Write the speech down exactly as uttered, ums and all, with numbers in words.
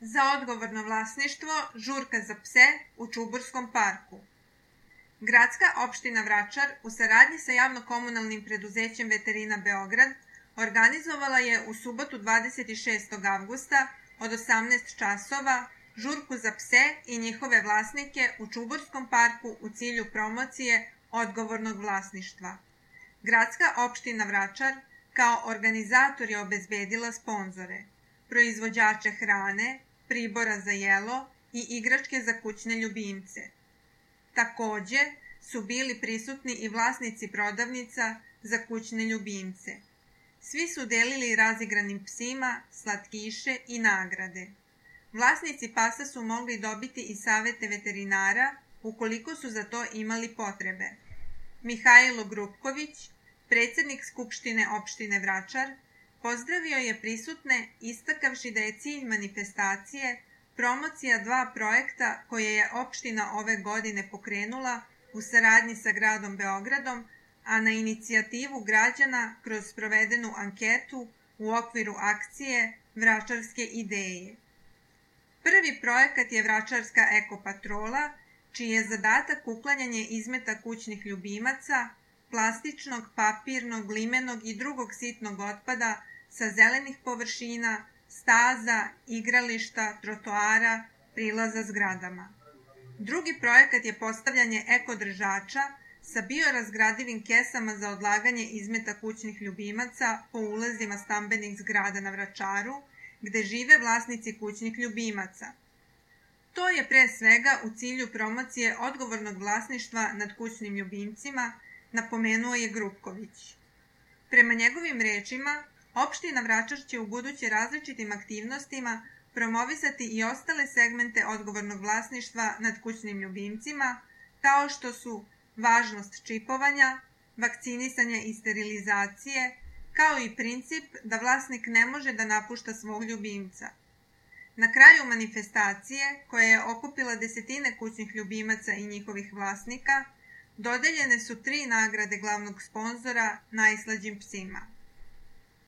Za odgovorno vlasništvo žurka za pse u Čuburskom parku. Gradska opština Vračar u saradnji sa javno-komunalnim preduzećem Veterina Beograd organizovala je u subotu dvadeset šestog avgusta od osamnaest časova žurku za pse i njihove vlasnike u Čuburskom parku u cilju promocije odgovornog vlasništva. Gradska opština Vračar kao organizator je obezbedila sponzore, proizvođače hrane, pribora za jelo i igračke za kućne ljubimce. Takođe su bili prisutni i vlasnici prodavnica za kućne ljubimce. Svi su delili razigranim psima slatkiše i nagrade. Vlasnici pasa su mogli dobiti i savete veterinara ukoliko su za to imali potrebe. Mihajlo Grupković, predsednik Skupštine opštine Vračar, pozdravio je prisutne istakavši da je cilj manifestacije promocija dva projekta koje je opština ove godine pokrenula u saradnji sa gradom Beogradom, a na inicijativu građana kroz sprovedenu anketu u okviru akcije Vračarske ideje. Prvi projekat je Vračarska ekopatrola, čiji je zadatak uklanjanje izmeta kućnih ljubimaca, plastičnog, papirnog, limenog i drugog sitnog otpada sa zelenih površina, staza, igrališta, trotoara, prilaza zgradama. Drugi projekat je postavljanje ekodržača sa biorazgradivim kesama za odlaganje izmeta kućnih ljubimaca po ulazima stambenih zgrada na Vračaru, gde žive vlasnici kućnih ljubimaca. To je pre svega u cilju promocije odgovornog vlasništva nad kućnim ljubimcima, napomenuo je Grupković. Prema njegovim rečima, opština Vračar će u buduće različitim aktivnostima promovisati i ostale segmente odgovornog vlasništva nad kućnim ljubimcima, kao što su važnost čipovanja, vakcinisanja i sterilizacije, kao i princip da vlasnik ne može da napušta svog ljubimca. Na kraju manifestacije, koja je okupila desetine kućnih ljubimaca i njihovih vlasnika, dodeljene su tri nagrade glavnog sponzora najslađim psima.